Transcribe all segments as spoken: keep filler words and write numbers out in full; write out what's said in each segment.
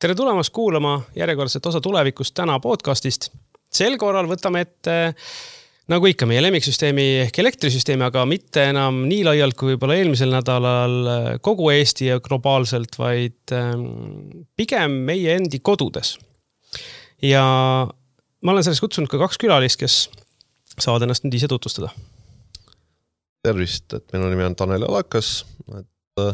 Tere tulemast kuulama järjekordset osa tulevikust täna podcastist. Sel korral võtame ette, nagu ikka, meie lemmiksüsteemi ehk elektrisüsteemi, aga mitte enam nii laialt kui võib-olla eelmisel nädalal kogu Eesti ja globaalselt, vaid pigem meie endi kodudes. Ja ma olen selles kutsunud ka kaks külalist, kes saavad ennast nüüd ise tutvustada. Tervist, et minu nimi on Tanel Alakas, et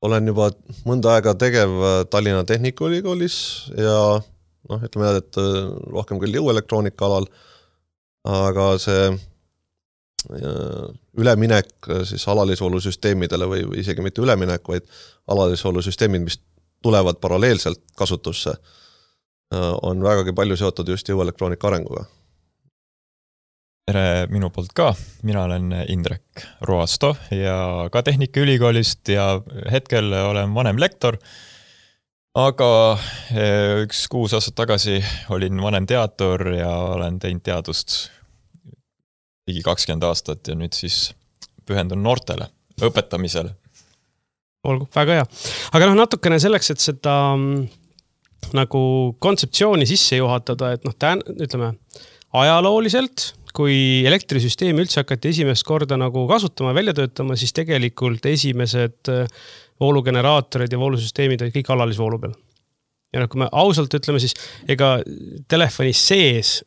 olen juba mõnda aega tegev Tallinna Tehnikaülikoolis ja noh, ütleme, et rohkem küll jõuelektroonika alal, aga see üleminek siis alalisvoolusüsteemidele või isegi mitte üleminek, vaid alalisvoolusüsteemid, mis tulevad paralleelselt kasutusse, on vägagi palju seotud just jõuelektroonika arenguga. Tere minu poolt ka, mina olen Indrek Roasto ja ka Tehnikaülikoolist ja hetkel olen vanem lektor, aga üks kuus aastat tagasi olin vanem teadur ja olen teinud teadust ligi kakskümmend aastat ja nüüd siis pühendun noortele, õpetamisele. Olgu, väga hea. Aga noh, natukene selleks, et seda nagu kontseptsiooni sisse juhatada, et noh, tän, ütleme, ajalooliselt, kui elektrisüsteemi üldse hakati esimest korda nagu kasutama ja välja töötama, siis tegelikult esimesed voolugeneraatorid ja voolusüsteemid olid kõik alalisvoolu peal. Ja noh, kui me ausalt ütleme, siis ega telefoni sees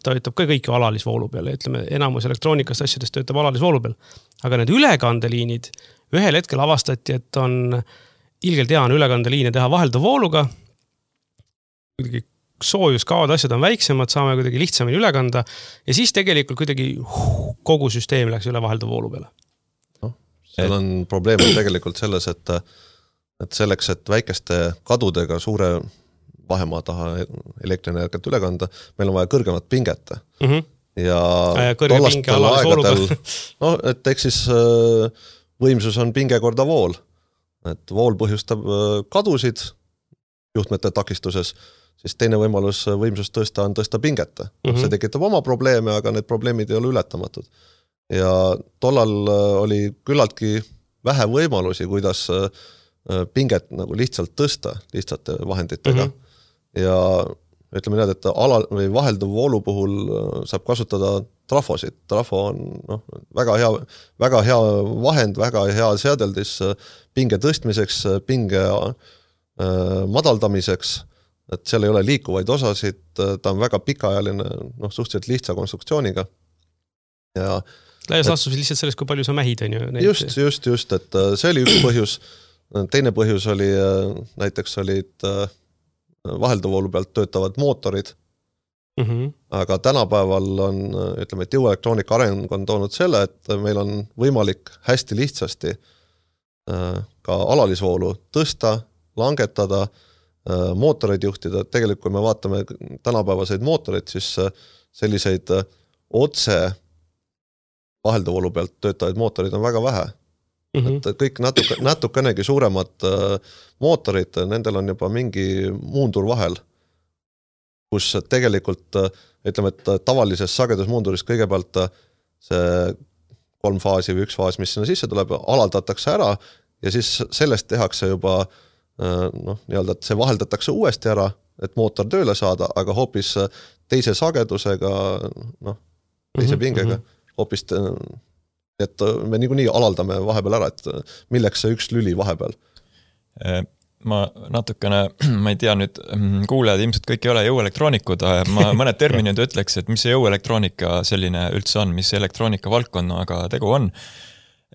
töötab ka kõik alalisvoolu peal. Ütleme, enamus elektroonikast asjadest töötab alalisvoolu peal. Aga need ülekandeliinid ühel hetkel avastati, et on ilgelt hea on ülekandeliine teha vahelduva vooluga. Kuidagi soojus, kaod, asjad on väiksemad, saame kuidagi lihtsamini üle kanda ja siis tegelikult kuidagi kogu süsteem läks üle vahelduva voolu peale. No, seal on probleem tegelikult selles, et, et selleks, et väikeste kadudega suure vahemaa taha elektrienergiat üle kanda, meil on vaja kõrgemat pinget. Mm-hmm. Ja tollastel aegadel, no, et eks siis võimsus on pinge korda vool. Et vool põhjustab kadusid juhtmete takistuses, siis teine võimalus võimsust tõsta on tõsta pinget. Mm-hmm. See tekitab oma probleeme, aga need probleemid ei ole ületamatud. Ja tollal oli küllaltki vähe võimalusi, kuidas pinget nagu lihtsalt tõsta lihtsate vahenditega. Mm-hmm. Ja ütleme need, et ala, või vahelduv voolu puhul saab kasutada trafosid. Trafo on noh, väga, hea, väga hea vahend, väga hea seadeldis pinge tõstmiseks, pinge madaldamiseks, et seal ei ole liikuvaid osasid, ta on väga pikaajaline, noh, suhteliselt lihtsa konstruktsiooniga. Ja Läias lastus lihtsalt sellest, kui palju sa mähid on ju. Neid... Just, just, just, et see oli üks põhjus. Teine põhjus oli, näiteks olid vahelduvoolu pealt töötavad mootorid, mm-hmm. aga tänapäeval on, ütleme, et jõuelektroonika areng on toonud selle, et meil on võimalik hästi lihtsasti ka alalisvoolu tõsta, langetada, mootoreid juhtida. Tegelikult, kui me vaatame tänapäevaseid mootoreid, siis selliseid otse vahelduvoolu pealt töötavaid mootoreid on väga vähe. Mm-hmm. Et kõik natuke, natukenegi suuremad mootorid, nendel on juba mingi muundur vahel, kus tegelikult, ütleme, et tavalises sagedusmuunduris kõigepealt see kolm faasi või üks faas, mis sinna sisse tuleb, alaldatakse ära ja siis sellest tehakse juba noh, nii-öelda, et see vaheldatakse uuesti ära, et mootor tööle saada, aga hoopis teise sagedusega, noh, teise pingega, hoopis, et me niikuinii alaldame vahepeal ära, et milleks see üks lüli vahepeal? Ma natukene, ma ei tea nüüd, kuulejad ilmselt kõik ei ole jõuelektroonikud, ma mõned terminid ütleks, et mis see jõuelektroonika selline üldse on, mis elektroonika valdkonnaga tegu on.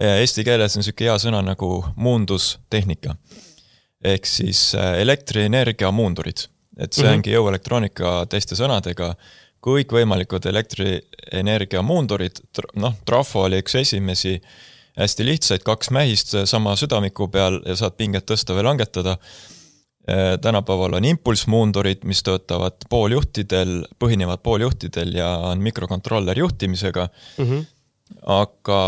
Eesti keeles on selline hea sõna nagu muundustehnika. Ehk siis elektrienergia muundurid. Et see ongi jõuelektroonika teiste sõnadega. Kõik võimalikud elektrienergia muundurid, noh, trafo oli üks esimesi hästi lihtsaid, kaks mähist sama südamiku peal ja saad pinget tõsta või langetada. Tänapäeval on impulsmuundurid, mis töötavad pooljuhtidel, põhinevad pooljuhtidel ja on mikrokontroller juhtimisega. Mm-hmm. Aga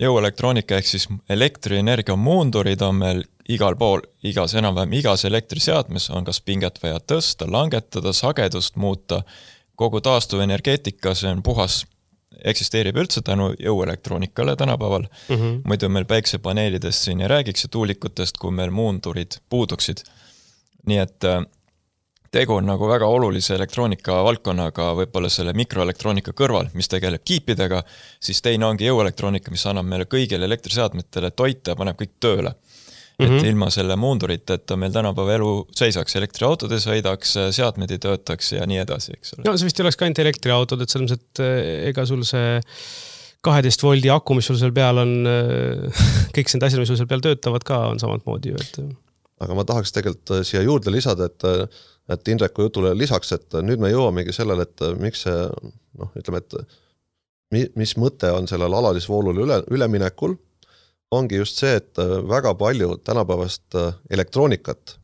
jõuelektroonika ehk siis elektrienergia muundurid on meil igal pool, igas enam-vähem igas elektriseadmes on kas pinget vaja tõsta, langetada, sagedust muuta, kogu taastuvenergeetika, see on puhas eksisteerib üldse tänu jõuelektroonikale tänapäeval. Mm -hmm. Muidu meil päiksepaneelidest siin ei räägiks ja tuulikutest, kui meil muundurid puuduksid. Nii et tegu on nagu väga olulise elektroonika valdkonnaga võib-olla selle mikroelektroonika kõrval, mis tegeleb kiipidega, siis teine ongi jõuelektroonika, mis annab meile kõigile elektriseadmetele toite ja paneb kõik tööle. Et mm -hmm. ilma selle muunduriteta meil tänapäeva elu seisaks, elektriautodes sõidaks, seadmed ei töötaks ja nii edasi, eks ole. No see vist ei oleks ka ainult elektriautod, et selles mõttes, et ega sul see kaheteist voldi aku, mis sul seal peal on, kõik need asjad, mis sul seal peal töötavad ka, on samad moodi ju. Et... Aga ma tahaks tegelikult siia juurde lisada, et, et Indreku jutule lisaks, et nüüd me jõuamegi sellele, et miks see, noh, ütleme, et mis mõte on sellel alalisvoolule üle, üleminekul, ongi just see, et väga palju tänapäevast elektroonikat,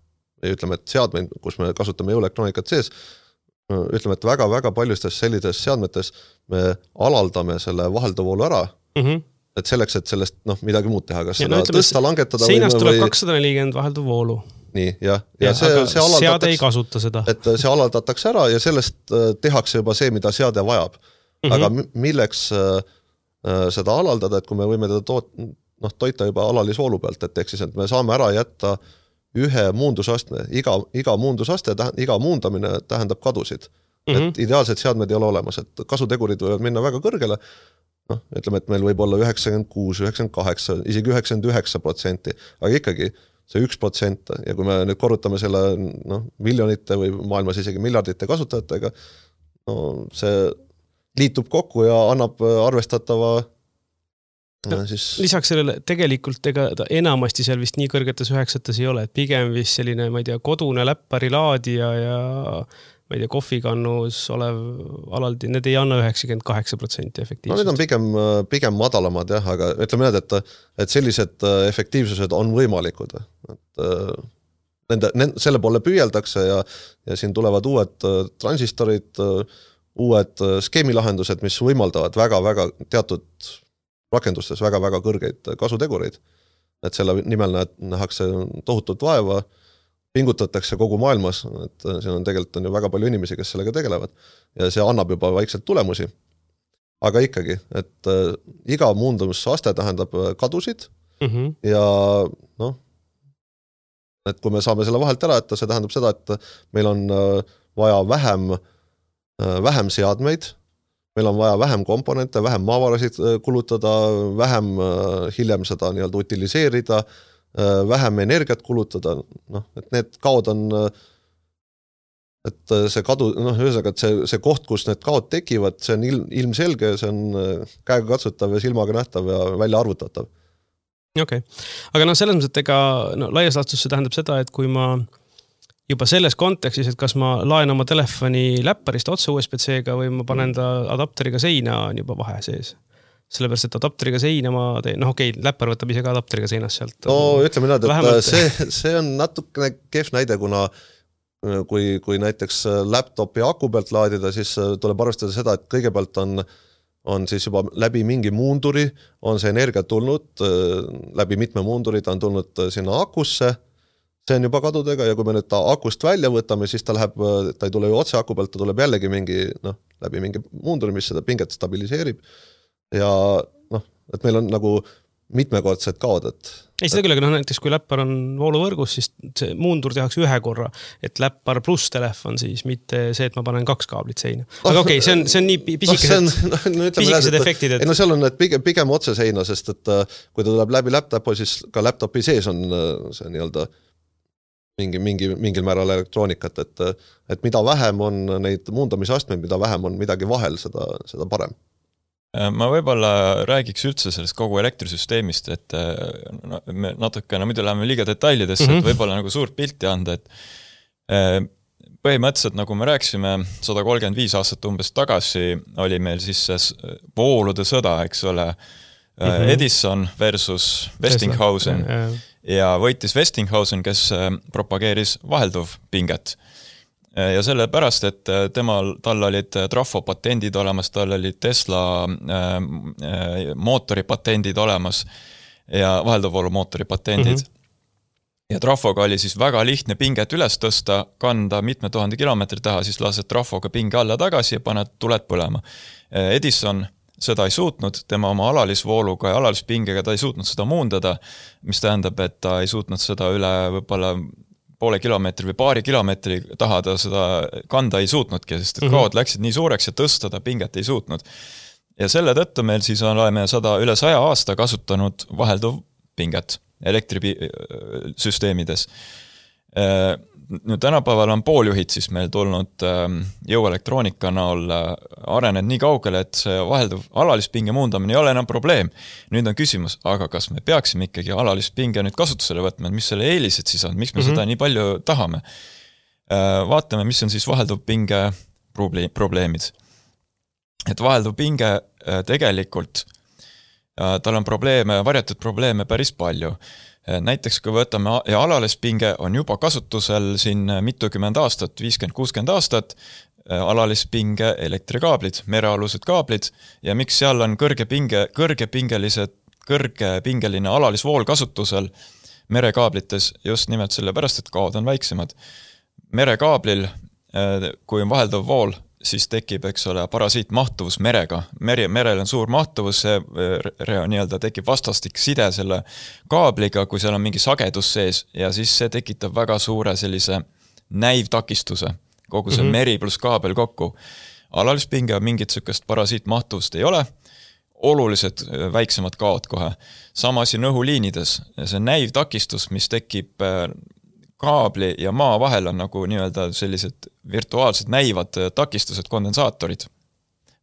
ütleme, et seadmeid, kus me kasutame jõuelektroonikat sees, ütleme, et väga-väga paljustes sellises seadmetes me alaldame selle vahelduvoolu ära, mm -hmm. et selleks, et sellest noh, midagi muud teha, kas ja seda no, ütleme, tõsta, langetada seinast või... tuleb kakssada nelikümmend vahelduvoolu. Nii, jah. Ja, ja see, see seade ei kasuta seda. Et see alaldatakse ära ja sellest tehakse juba see, mida seade vajab. Mm -hmm. Aga milleks seda alaldada, et kui me võime teda toot... noh, toita juba alalisvoolu pealt, et ehk siis, et me saame ära jätta ühe muundusastme, iga, iga muundusaste, iga muundamine tähendab kadusid. Mm -hmm. Et ideaalsed seadmed ei ole olemas, et kasutegurid võivad minna väga kõrgele, noh, ütleme, et meil võib olla üheksakümmend kuus, üheksakümmend kaheksa, isegi üheksakümmend üheksa protsenti, aga ikkagi see üks protsent ja kui me nüüd korrutame selle noh, miljonite või maailmas isegi miljardite kasutajatega, no see liitub kokku ja annab arvestatava No, siis... Lisaks sellele tegelikult ega ta enamasti seal vist nii kõrgetes üheksates ei ole, et pigem vist selline, ma ei tea, kodune läppari laadija ja ma ei tea, kohvikannus olev alaldi, need ei anna üheksakümmend kaheksa protsenti efektiivsust. No need on pigem, pigem madalamad jah, aga ütleme need, et, et sellised efektiivsused on võimalikud. Et, nende, nende, selle poole püüeldakse ja, ja siin tulevad uued transistorid, uued skeemilahendused, mis võimaldavad väga-väga teatud rakendustes väga-väga kõrgeid kasutegureid. Et selle nimel nähakse tohutut vaeva, pingutatakse kogu maailmas, et siin on tegelikult on ju väga palju inimesi, kes sellega tegelevad ja see annab juba vaikselt tulemusi. Aga ikkagi, et iga muundumisaste tähendab kadusid mm -hmm. ja noh, et kui me saame selle vahelt ära, et see tähendab seda, et meil on vaja vähem, vähem seadmeid, meil on vaja vähem komponente, vähem maavarasid kulutada, vähem hiljem seda nii-öelda utiliseerida, vähem energiat kulutada, noh, et need kaod on, et see kadu, noh, ühesõnaga, et see, see koht, kus need kaod tekivad, see on ilm, ilmselge, see on käega katsutav ja silmaga nähtav ja välja arvutatav. Okei, okay. Aga noh, selles mõttes, et ega no, laias laastus see tähendab seda, et kui ma juba selles kontekstis, et kas ma laen oma telefoni läpparist otse U S B C-ga või ma panen ta adapteriga seina, on juba vahe sees. Sellepärast, et adapteriga seina ma teen, noh okei, okay, läppar võtab ise ka adapteriga seinast sealt. No ütleme näed, et vähemalt... see, see on natukene kehv näide, kuna kui, kui näiteks laptopi aku pealt laadida, siis tuleb arvestada seda, et kõigepealt on, on siis juba läbi mingi muunduri, on see energia tulnud, läbi mitme muunduri ta on tulnud sinna akusse, see on juba kadudega ja kui me nüüd ta akust välja võtame, siis ta läheb, ta ei tule ju otse aku pealt, ta tuleb jällegi mingi, noh, läbi mingi muunduri, mis seda pinget stabiliseerib ja noh, et meil on nagu mitmekordsed kaod, et ei, seda küll, aga noh, näiteks kui läppar on vooluvõrgus, siis see muundur tehakse ühe korra, et läppar pluss telefon siis, mitte see, et ma panen kaks kaablit seina. Aga no, okei, okay, see on, see on nii pisikesed, no, no, pisikesed et, efektid. Et... ei no seal on need pigem, pigem otse seina, sest et kui ta tuleb läbi laptopi, siis ka laptopi sees on see nii-öelda mingi, mingi, mingil määral elektroonikat, et, et mida vähem on neid muundamisastmeid, mida vähem on midagi vahel, seda, seda parem. Ma võib-olla räägiks üldse sellest kogu elektrisüsteemist, et no, me natuke, no muidu läheme liiga detailidesse, mm -hmm. et võib-olla nagu suurt pilti anda, et põhimõtteliselt, nagu me rääksime, sada kolmkümmend viis aastat umbes tagasi oli meil siis see voolude sõda, eks ole, mm -hmm. Edison versus Westinghausen ja, ja. ja võitis Westinghausen, kes propageeris vahelduv pinget. Ja sellepärast, et temal, tal olid trafopatendid olemas, tal olid Tesla äh, mootoripatendid olemas ja vahelduvvoolu mootoripatendid. Mm -hmm. Ja trafoga oli siis väga lihtne pinget üles tõsta, kanda mitme tuhande kilomeetri taha, siis lased trafoga pinge alla tagasi ja paned tuled põlema. Edison seda ei suutnud, tema oma alalisvooluga ja alalispingega ta ei suutnud seda muundada, mis tähendab, et ta ei suutnud seda üle võib-olla poole kilomeetri või paari kilomeetri taha ta seda kanda ei suutnudki, sest et kaod läksid nii suureks ja tõsta ta pinget ei suutnud. Ja selle tõttu meil siis oleme sada üle saja aasta kasutanud vahelduv pinget elektrisüsteemides. Nüüd tänapäeval on pooljuhid siis meil tulnud jõuelektroonika näol arenenud nii kaugele, et see vahelduv alalispinge muundamine ei ole enam probleem. Nüüd on küsimus, aga kas me peaksime ikkagi alalispinge nüüd kasutusele võtma, mis selle eelised siis on, miks me mm-hmm. seda nii palju tahame? Vaatame, mis on siis vahelduv pinge probleemid. Et vahelduv pinge tegelikult, tal on probleeme, varjatud probleeme päris palju. Näiteks kui võtame ja alalispinge on juba kasutusel siin mitukümmend aastat, viiskümmend kuuskümmend aastat, alalispinge elektrikaablid, merealused kaablid ja miks seal on kõrge pinge, kõrgepingelised, kõrgepingeline alalisvool kasutusel merekaablites just nimelt sellepärast, et kaod on väiksemad. Merekaablil, kui on vahelduv vool, siis tekib, eks ole, parasiit mahtuvus merega. Meri, merel on suur mahtuvus, see nii-öelda tekib vastastik side selle kaabliga, kui seal on mingi sagedus sees ja siis see tekitab väga suure sellise näivtakistuse, kogu see mm-hmm. meri pluss kaabel kokku. Alalispinge on mingit sükest parasiit mahtuvust ei ole, olulised väiksemad kaod kohe. Sama asi õhuliinides, see näivtakistus, mis tekib kaabli ja maa vahel on nagu nii-öelda sellised virtuaalsed näivad takistused, kondensaatorid,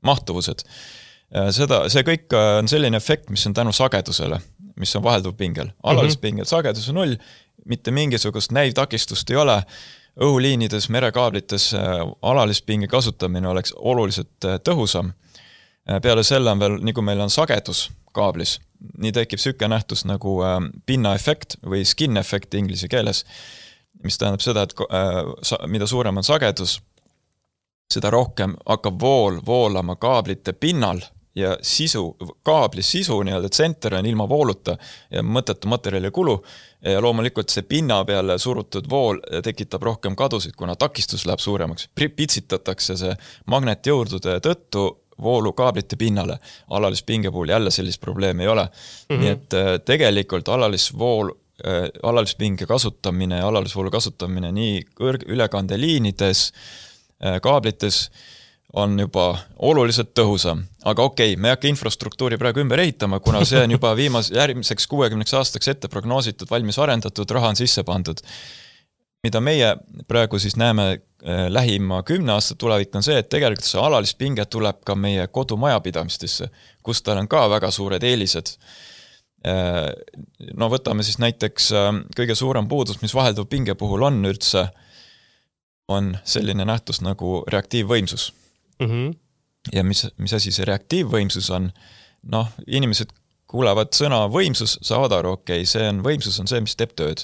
mahtuvused. Seda, see kõik on selline efekt, mis on tänu sagedusele, mis on vahelduv pingel. Alalispingel sagedus on null, mitte mingisugust näivtakistust ei ole. Õhuliinides, merekaablites alalispinge kasutamine oleks oluliselt tõhusam. Peale selle on veel, nagu meil on sagedus kaablis, nii tekib süke nähtus nagu pinnaefekt või skin-efekt inglise keeles, mis tähendab seda, et mida suurem on sagedus, seda rohkem hakkab vool voolama kaablite pinnal ja sisu, kaabli sisu, nii-öelda tsenter on ilma vooluta ja mõttetu materjali kulu ja loomulikult see pinna peale surutud vool tekitab rohkem kadusid, kuna takistus läheb suuremaks. Pitsitatakse see magnetjõurdude tõttu voolu kaablite pinnale. Alalispinge puhul jälle sellist probleemi ei ole. Mm-hmm. Nii et tegelikult alalisvool alalispinge kasutamine ja alalisvoolu kasutamine nii kõrg- ülekandeliinides, kaablites on juba oluliselt tõhusam. Aga okei, me ei hakka infrastruktuuri praegu ümber ehitama, kuna see on juba viimas järgmiseks kuuekümneks aastaks ette prognoositud, valmis arendatud, raha on sisse pandud. Mida meie praegu siis näeme lähima kümne aasta tulevik on see, et tegelikult see alalispinge tuleb ka meie kodumajapidamistesse, kus tal on ka väga suured eelised. No võtame siis näiteks kõige suurem puudus, mis vahelduv pinge puhul on üldse, on selline nähtus nagu reaktiivvõimsus. Mm-hmm. Ja mis, mis asi see reaktiivvõimsus on? Noh, inimesed kuulevad sõna võimsus, saavad aru, okei, okay, see on võimsus on see, mis teeb tööd.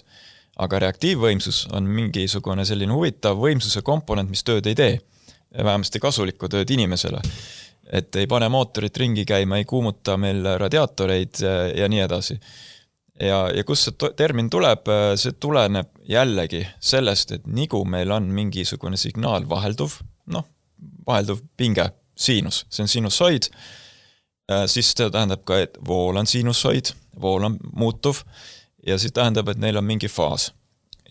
Aga reaktiivvõimsus on mingisugune selline huvitav võimsuse komponent, mis tööd ei tee. Vähemasti kasulikku tööd inimesele. Et ei pane mootorit ringi käima, ei kuumuta meil radiaatoreid ja nii edasi. Ja, ja kus see termin tuleb, see tuleneb jällegi sellest, et nigu meil on mingisugune signaal vahelduv, noh, vahelduv pinge, siinus, see on sinusoid, siis see tähendab ka, et vool on sinusoid, vool on muutuv ja siis tähendab, et neil on mingi faas.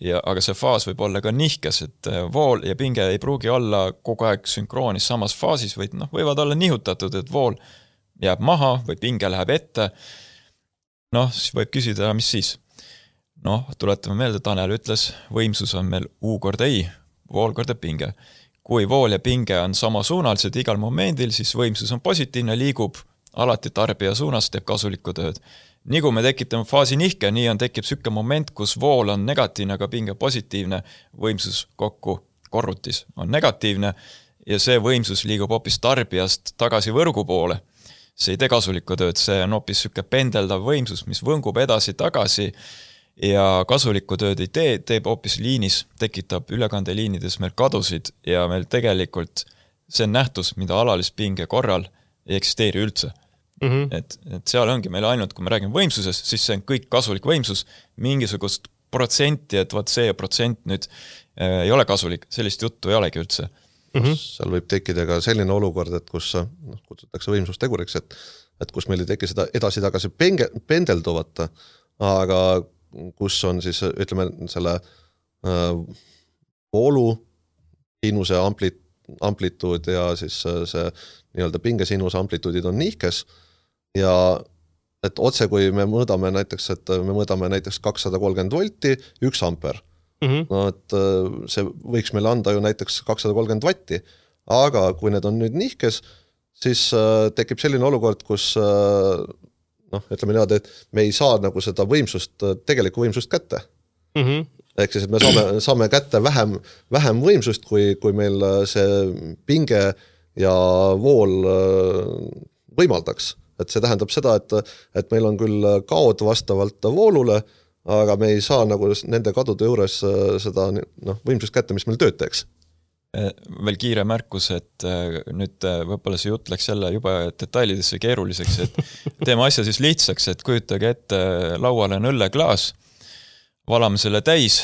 Ja, aga see faas võib olla ka nihkes, et vool ja pinge ei pruugi olla kogu aeg sünkroonis samas faasis, või noh, võivad olla nihutatud, et vool jääb maha või pinge läheb ette. Noh, siis võib küsida, mis siis? Noh, tuletame meelde, Tanel ütles, võimsus on meil U korda I, vool korda pinge. Kui vool ja pinge on samasuunalised igal momendil, siis võimsus on positiivne, liigub alati tarbija suunas, teeb kasulikku tööd. Nii kui me tekitame faasi nihke, nii on tekib sükke moment, kus vool on negatiivne, aga pinge positiivne, võimsus kokku korrutis on negatiivne ja see võimsus liigub hoopis tarbijast tagasi võrgu poole. See ei tee kasulikku tööd, see on hoopis sükke pendeldav võimsus, mis võngub edasi tagasi ja kasulikku tööd ei tee, teeb hoopis liinis, tekitab ülekandeliinides meil kadusid ja meil tegelikult see on nähtus, mida alalispinge korral ei eksisteeri üldse. Mm-hmm. Et, et seal ongi meil ainult, kui me räägime võimsusest, siis see on kõik kasulik võimsus, mingisugust protsenti, et vaat see protsent nüüd äh, ei ole kasulik, sellist juttu ei olegi üldse. mm-hmm. seal võib tekkida ka selline olukord, et kus noh, kutsutakse võimsusteguriks, et, et kus meil ei teki seda edasi-tagasi penge, pendelduvat, aga kus on siis, ütleme, selle äh, voolu, sinuse amplit, amplituud ja siis see nii-öelda pingesinuse amplituudid on nihkes ja et otse, kui me mõõdame näiteks, et me mõõdame näiteks kakssada kolmkümmend volti, üks amper. Mm-hmm. No, et see võiks meile anda ju näiteks kakssada kolmkümmend vatti, aga kui need on nüüd nihkes, siis tekib selline olukord, kus noh, ütleme niimoodi, et me ei saa nagu seda võimsust, tegelikku võimsust kätte. Mm-hmm. Ehk siis, et me saame, saame kätte vähem, vähem võimsust, kui, kui meil see pinge ja vool võimaldaks. Et see tähendab seda, et, et meil on küll kaod vastavalt voolule, aga me ei saa nagu nende kadude juures seda noh, võimsust kätte, mis meil tööd teeks. Veel kiire märkus, et nüüd võibolla see jutt läks jälle juba detailidesse keeruliseks, et teeme asja siis lihtsaks, et kujutage ette lauale on õlleklaas, valame selle täis,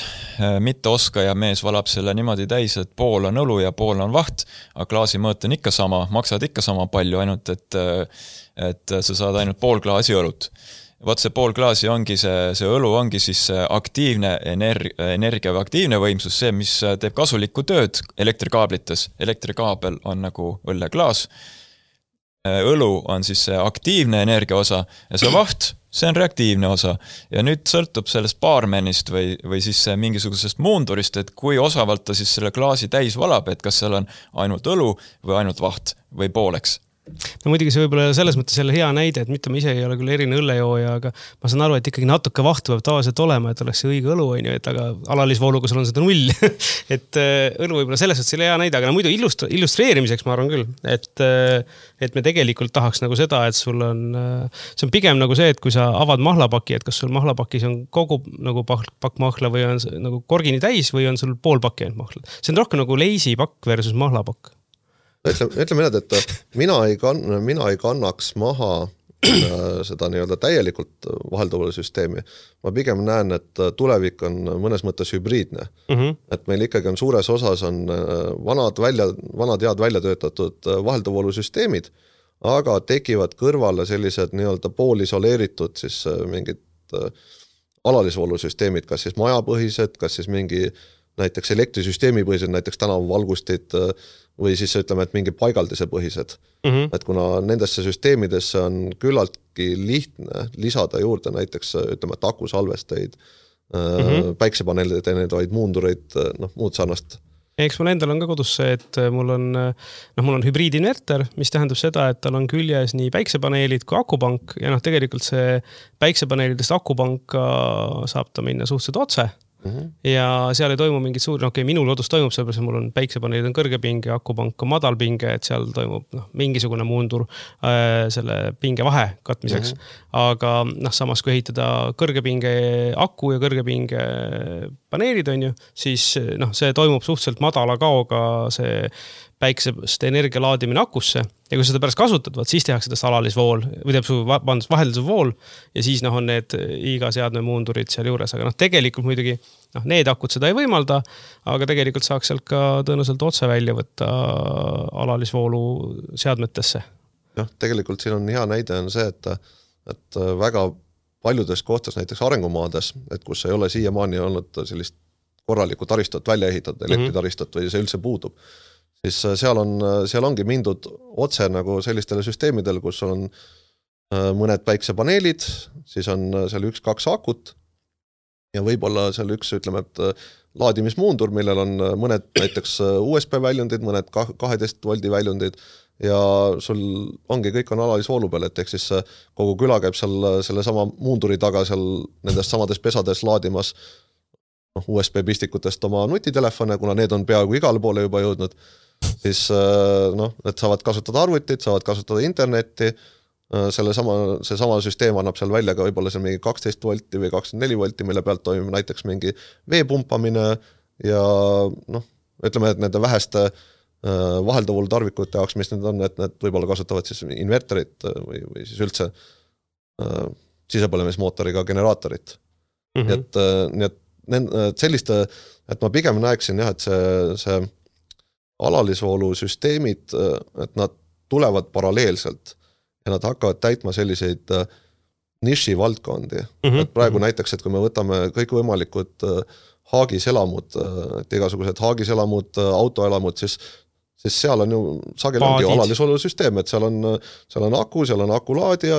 mitte oskaja mees valab selle niimoodi täis, et pool on õlu ja pool on vaht, aga klaasi mõõt on ikka sama, maksad ikka sama palju, ainult et, et sa saad ainult pool klaasi õlut. Vaat see pool klaasi ongi see, see õlu ongi siis aktiivne energia, energia või aktiivne võimsus, see, mis teeb kasulikku tööd elektrikaablites. Elektrikaabel on nagu õlleklaas, õlu on siis see aktiivne energia osa ja see vaht, see on reaktiivne osa. Ja nüüd sõltub sellest baarmenist või, või siis mingisugusest muundurist, et kui osavalt ta siis selle klaasi täis valab, et kas seal on ainult õlu või ainult vaht või pooleks. No muidugi see võib-olla selles mõttes selle hea näide, et mitte ma ise ei ole küll erine õllejooja, aga ma saan aru, et ikkagi natuke vahtu peab tavaliselt olema, et oleks see õige õlu, on ju, et aga alalisvooluga sul on seda null. et õlu võib-olla selles mõttes selle hea näide, aga no muidu illustra- illustreerimiseks ma arvan küll, et, et me tegelikult tahaks nagu seda, et sul on, see on pigem nagu see, et kui sa avad mahlapaki, et kas sul mahlapakis on kogu nagu pakk mahla või on nagu korgini täis või on sul pool pakki ainult mahla. See on rohkem nagu leisipakk versus mahlapakk. Ütleme, ütleme nii, et mina ei, kann, mina ei kannaks maha seda nii-öelda täielikult vahelduvale süsteemi. Ma pigem näen, et tulevik on mõnes mõttes hübriidne. Mm-hmm. Et meil ikkagi on suures osas on vanad, välja, vanad head välja töötatud vahelduvoolu süsteemid, aga tekivad kõrvale sellised nii-öelda poolisoleeritud siis mingid alalisvoolu süsteemid, kas siis majapõhised, kas siis mingi näiteks elektrisüsteemi põhised, näiteks tänavavalgustid või siis ütleme, et mingi paigaldise põhised. Mm-hmm. Et kuna nendesse süsteemidesse on küllaltki lihtne lisada juurde näiteks ütleme, et akusalvesteid, mm-hmm. päiksepaneelide teenevaid muundureid, noh, muud sarnast. Eks mul endal on ka kodus see, et mul on, noh, mul on hübriidinverter, mis tähendab seda, et tal on küljes nii päiksepaneelid kui akupank ja noh, tegelikult see päiksepaneelidest akupanka saab ta minna suhteliselt otse. Mm-hmm. Ja seal ei toimu mingit suur, no okei, okay, minul kodus toimub sellepärast, mul on päiksepaneelid on kõrge pinge, akupank on madal pinge, et seal toimub noh, mingisugune muundur äh, selle pinge vahe katmiseks. Mm-hmm. Aga noh, samas kui ehitada kõrge pinge aku ja kõrge pinge paneelid on ju, siis noh, see toimub suhteliselt madala kaoga see päiksest energia laadimine akusse ja kui seda pärast kasutad, vaat siis tehakse seda alalisvool või teeb su vahelduv vool ja siis noh, on need iga seadme muundurid seal juures, aga noh, tegelikult muidugi noh, need akud seda ei võimalda, aga tegelikult saaks sealt ka tõenäoliselt otse välja võtta alalisvoolu seadmetesse. Noh, tegelikult siin on hea näide on see, et, et väga paljudes kohtas, näiteks arengumaades, et kus ei ole siiamaani olnud sellist korralikku taristot välja ehitatud, elektritaristot või see üldse puudub, siis seal on, seal ongi mindud otse nagu sellistele süsteemidele, kus on mõned päiksepaneelid, siis on seal üks-kaks akut ja võib-olla seal üks, ütleme, et laadimismuundur, millel on mõned näiteks U S B väljundid, mõned kaheteist voldi väljundid ja sul ongi kõik on alalisvoolu peal, et ehk siis kogu küla käib seal selle sama muunduri taga seal nendest samades pesades laadimas U S B pistikutest oma nutitelefone, kuna need on peaaegu igale poole juba jõudnud, siis noh, et saavad kasutada arvutit, saavad kasutada internetti, selle sama, see sama süsteem annab seal välja ka võib-olla seal mingi kaksteist volti või kakskümmend neli volti, mille pealt toimub näiteks mingi vee pumpamine ja noh, ütleme, et nende väheste vahelduvoolu tarvikute jaoks, mis need on, et need võib-olla kasutavad siis inverterit või, või siis üldse äh, sisepõlemismootoriga generaatorit. Mm-hmm. Et, nii et selliste, et ma pigem näeksin jah, et see, see alalisvoolusüsteemid, et nad tulevad paralleelselt ja nad hakkavad täitma selliseid niši valdkondi. Mm-hmm. Et praegu näiteks, et kui me võtame kõikvõimalikud haagiselamud, et igasugused haagiselamud, autoelamud, siis siis seal on ju sageli ongi alalisvoolusüsteem, et seal on, seal on aku, seal on akulaadija,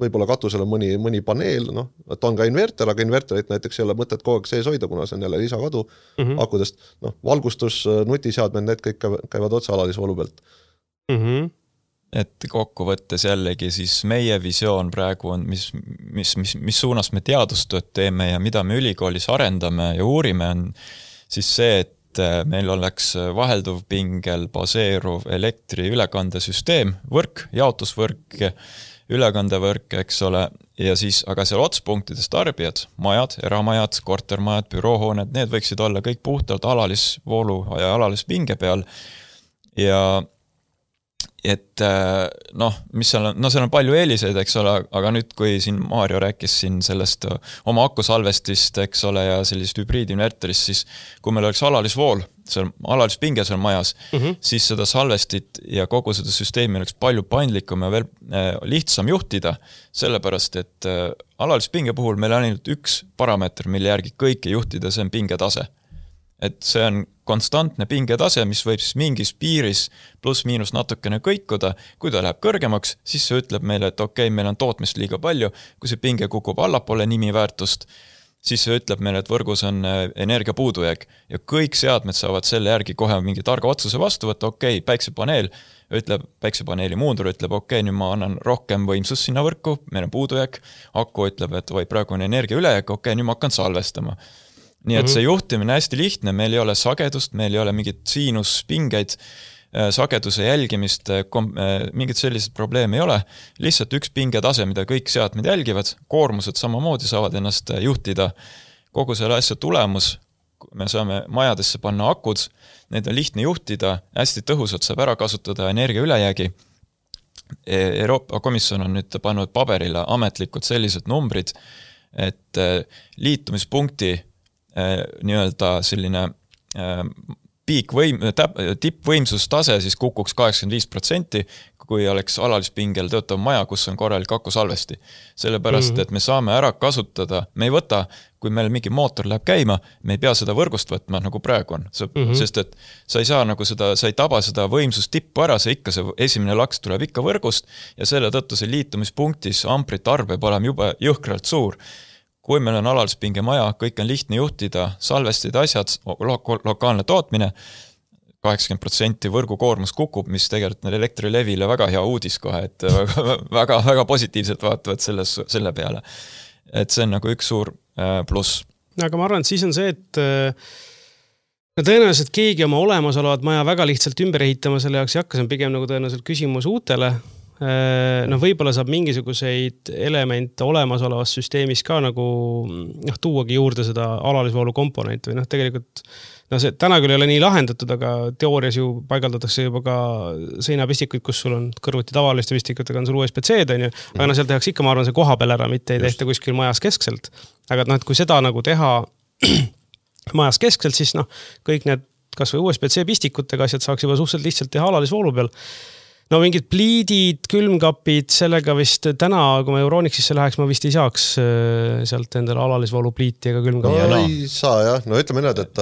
võib-olla katusel on mõni, mõni paneel, noh, et on ka inverter, aga inverterit näiteks ei ole mõtet kogu aeg sees hoida, kuna see on jälle lisakadu mm-hmm. akudest. Noh, valgustus, nutiseadmed, need kõik käivad otse alalisvoolu pealt. Mm-hmm. Et kokkuvõttes jällegi siis meie visioon praegu on, mis, mis, mis, mis suunas me teadustööd teeme ja mida me ülikoolis arendame ja uurime, on siis see, et meil oleks vahelduv pingel baseeruv elektri ülekandesüsteem, võrk, jaotusvõrk, ülekandevõrk, eks ole, ja siis, aga seal otspunktides tarbijad, majad, eramajad, kortermajad, büroohooned, need võiksid olla kõik puhtalt alalisvoolu ja alalispinge peal ja et noh, mis seal on, no seal on palju eeliseid, eks ole, aga nüüd, kui siin Maarjo rääkis siin sellest oma akusalvestist, eks ole, ja sellist hübriidinverterist, siis kui meil oleks alalisvool, seal alalispinge seal majas, mm-hmm. siis seda salvestit ja kogu seda süsteemi oleks palju paindlikum ja veel lihtsam juhtida, sellepärast, et alalispinge puhul meil on ainult üks parameeter, mille järgi kõike juhtida, see on pingetase. Et see on konstantne pingetase, mis võib siis mingis piiris pluss miinus natukene kõikuda. Kui ta läheb kõrgemaks, siis see ütleb meile, et okei, okay, meil on tootmist liiga palju. Kui see pinge kukub allapoole nimiväärtust, siis see ütleb meile, et võrgus on energia puudujääk ja kõik seadmed saavad selle järgi kohe mingi targa otsuse vastu võtta, okei, okay, päiksepaneel ütleb, päiksepaneeli muundur ütleb, okei, okay, nüüd ma annan rohkem võimsust sinna võrku, meil on puudujääk, aku ütleb, et või praegu on energia ülejääk, okei, okay, nüüd ma hakkan salvestama. Nii et see juhtimine on hästi lihtne, meil ei ole sagedust, meil ei ole mingit siinuspingeid, sageduse jälgimist, mingit sellised probleeme ei ole, lihtsalt üks pingetase, mida kõik seadmed jälgivad, koormused samamoodi saavad ennast juhtida, kogu selle asja tulemus, me saame majadesse panna akud, need on lihtne juhtida, hästi tõhusalt saab ära kasutada energia ülejäägi. Euroopa Komisjon on nüüd pannud paberile ametlikud sellised numbrid, et liitumispunkti nii-öelda selline piikvõim, tippvõimsustase siis kukuks kaheksakümmend viis protsenti, kui oleks alalispingel töötav maja, kus on korralik akusalvesti. Sellepärast, mm-hmm. et me saame ära kasutada, me ei võta, kui meil mingi mootor läheb käima, me ei pea seda võrgust võtma, nagu praegu on. Mm-hmm. Sest et sa ei saa nagu seda, sa ei taba seda võimsust tippu ära, see ikka see esimene laks tuleb ikka võrgust ja selle tõttu see liitumispunktis amprite arv peab olema juba jõhkralt suur. Kui meil on alalispinge maja, kõik on lihtne juhtida, salvestid asjad, lo- lokaalne tootmine, kaheksakümmend protsenti võrgukoormus kukub, mis tegelikult elektrilevile väga hea uudis kohe, et väga, väga positiivselt vaatavad selles, selle peale. Et see on nagu üks suur pluss. Aga ma arvan, et siis on see, et tõenäoliselt keegi oma olemasolevat maja väga lihtsalt ümber ehitama selle jaoks ei hakka, see on pigem nagu tõenäoliselt küsimus uutele. No võib-olla saab mingisuguseid elemente olemasolevas süsteemis ka nagu noh, tuuagi juurde seda alalisvoolu komponenti või noh, tegelikult no see täna küll ei ole nii lahendatud, aga teoorias ju paigaldatakse juba ka seinapistikuid, kus sul on kõrvuti tavaliste pistikutega on sul U S B C-d, on ju, aga no seal tehakse ikka, ma arvan, see koha peal ära, mitte ei tehta kuskil majas keskselt. Aga noh, et kui seda nagu teha majas keskselt, siis noh, kõik need kas või U S B C pistikutega asjad saaks juba suhteliselt lihtsalt teha alalisvoolu peal. No mingid pliidid, külmkapid, sellega vist täna, kui ma Euronixisse läheks, ma vist ei saaks sealt endale alalisvoolu pliiti ega külmkapid. No, no ei saa jah, no ütleme need, et,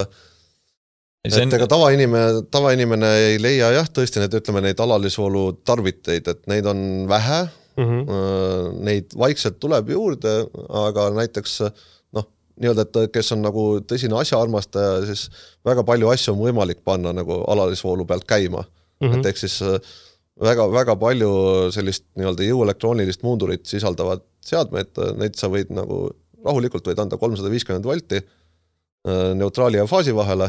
et on... ega tavainimene, tavainimene ei leia jah, tõesti need, ütleme neid alalisvoolu tarviteid, et neid on vähe, mm-hmm. neid vaikselt tuleb juurde, aga näiteks noh, nii-öelda, et kes on nagu tõsine asjaarmastaja, siis väga palju asju on võimalik panna nagu alalisvoolu pealt käima, mm-hmm. et eks siis väga, väga palju sellist nii-öelda jõuelektroonilist muundurit sisaldavad seadmed, neid sa võid nagu rahulikult võid anda kolmsada viiskümmend volti neutraali ja faasi vahele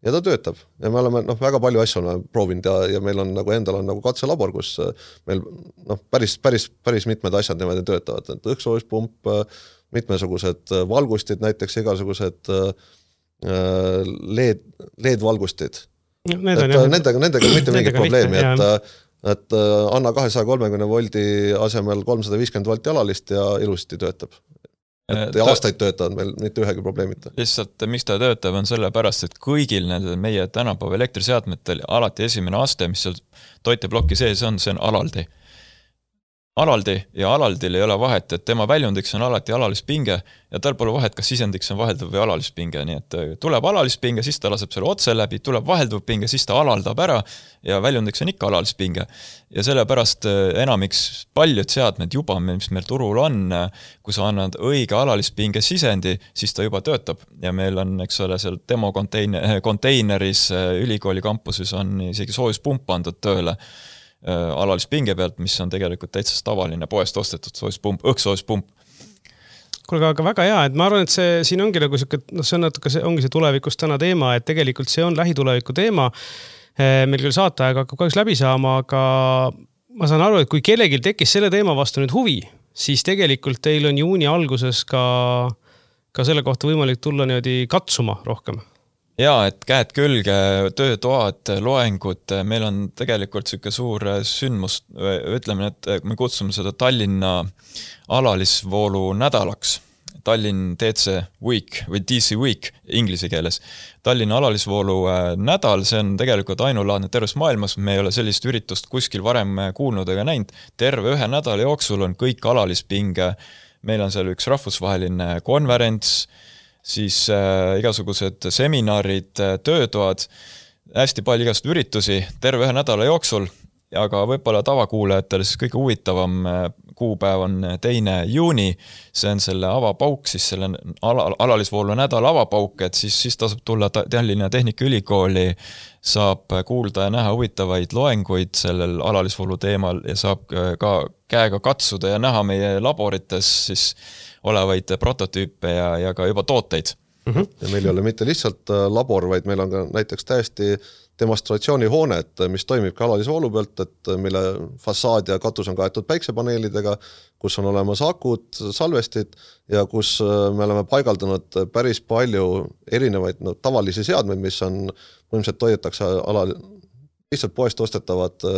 ja ta töötab. Ja me oleme noh, väga palju asju oleme proovinud ja, ja meil on nagu endal on nagu katselabor, kus meil noh, päris, päris, päris mitmed asjad niimoodi töötavad. Et õhksoojuspump, mitmesugused valgustid, näiteks igasugused LED, LED-valgustid. Need et on, nendega, nendega mitte mingit probleemi, et, et anna kahesaja kolmekümne voldi asemel kolmsada viiskümmend volti alalist ja ilusti töötab. et ja aastaid töötavad meil mitte ühegi probleemita. Lihtsalt, miks ta töötab, on selle pärast, et kõigil nendel meie tänapäeva elektriseadmetel alati esimene aste, mis seal toiteblokki sees on, see on alaldi. Alaldi ja alaldil ei ole vahet, et tema väljundiks on alati alalispinge ja tal pole vahet, kas sisendiks on vahelduv või alalispinge, nii et tuleb alalispinge, siis ta laseb selle otse läbi, tuleb vahelduv pinge, siis ta alaldab ära ja väljundiks on ikka alalispinge. Ja sellepärast enamiks paljud seadmed juba, mis meil turul on, kui sa annad õige alalispinge sisendi, siis ta juba töötab ja meil on, eks ole, seal demo konteiner, konteineris ülikooli kampuses on isegi soojuspump pandud tööle alalispinge pealt, mis on tegelikult täitsa tavaline poest ostetud soojuspump, õhksoojuspump. Kuulge, aga väga hea, et ma arvan, et see siin ongi nagu siuke, no see on natuke, see ongi see tulevikus täna teema, et tegelikult see on lähituleviku teema. Meil küll saatajaga hakkab kahjuks läbi saama, aga ma saan aru, et kui kellelgi tekkis selle teema vastu nüüd huvi, siis tegelikult teil on juuni alguses ka, ka selle kohta võimalik tulla niimoodi katsuma rohkem. Jaa, et käed külge, töötoad, loengud, meil on tegelikult siuke suur sündmus, ütleme, et me kutsume seda Tallinna alalisvoolu nädalaks, Tallinn D C Week või D C Week inglise keeles. Tallinna alalisvoolu nädal, see on tegelikult ainulaadne terves maailmas, me ei ole sellist üritust kuskil varem kuulnud ega näinud, terve ühe nädala jooksul on kõik alalispinge, meil on seal üks rahvusvaheline konverents, siis äh, igasugused seminarid, töötoad, hästi palju igast üritusi terve ühe nädala jooksul, aga võib-olla tavakuulajatele siis kõige huvitavam kuupäev on teine juuni, see on selle avapauk, siis selle ala, alalisvoolu nädala avapauk, et siis, siis tasub tulla Tallinna Tehnikaülikooli, saab kuulda ja näha huvitavaid loenguid sellel alalisvoolu teemal ja saab ka käega katsuda ja näha meie laborites siis olevaid prototüüpe ja, ja ka juba tooteid. Mm-hmm. Ja meil ei ole mitte lihtsalt labor, vaid meil on ka näiteks täiesti demonstratsioonihoone, et mis toimib ka alalisvoolu pealt, et mille fassaad ja katus on kaetud päiksepaneelidega, kus on olemas akud, salvestid ja kus me oleme paigaldanud päris palju erinevaid no, tavalisi seadmeid, mis on põhimõtteliselt toidetakse alal, lihtsalt poest ostetavad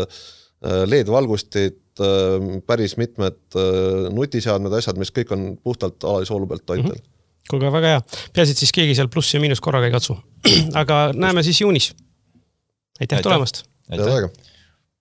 L E D-valgustid, päris mitmed nutiseadmed, asjad, mis kõik on puhtalt alalisvoolu pealt toitel. Mm-hmm. Kuulge, väga hea. Peasid siis keegi seal pluss ja miinus korraga ei katsu. Aga näeme siis juunis. Aitäh, Aitäh. tulemast! Aitäh!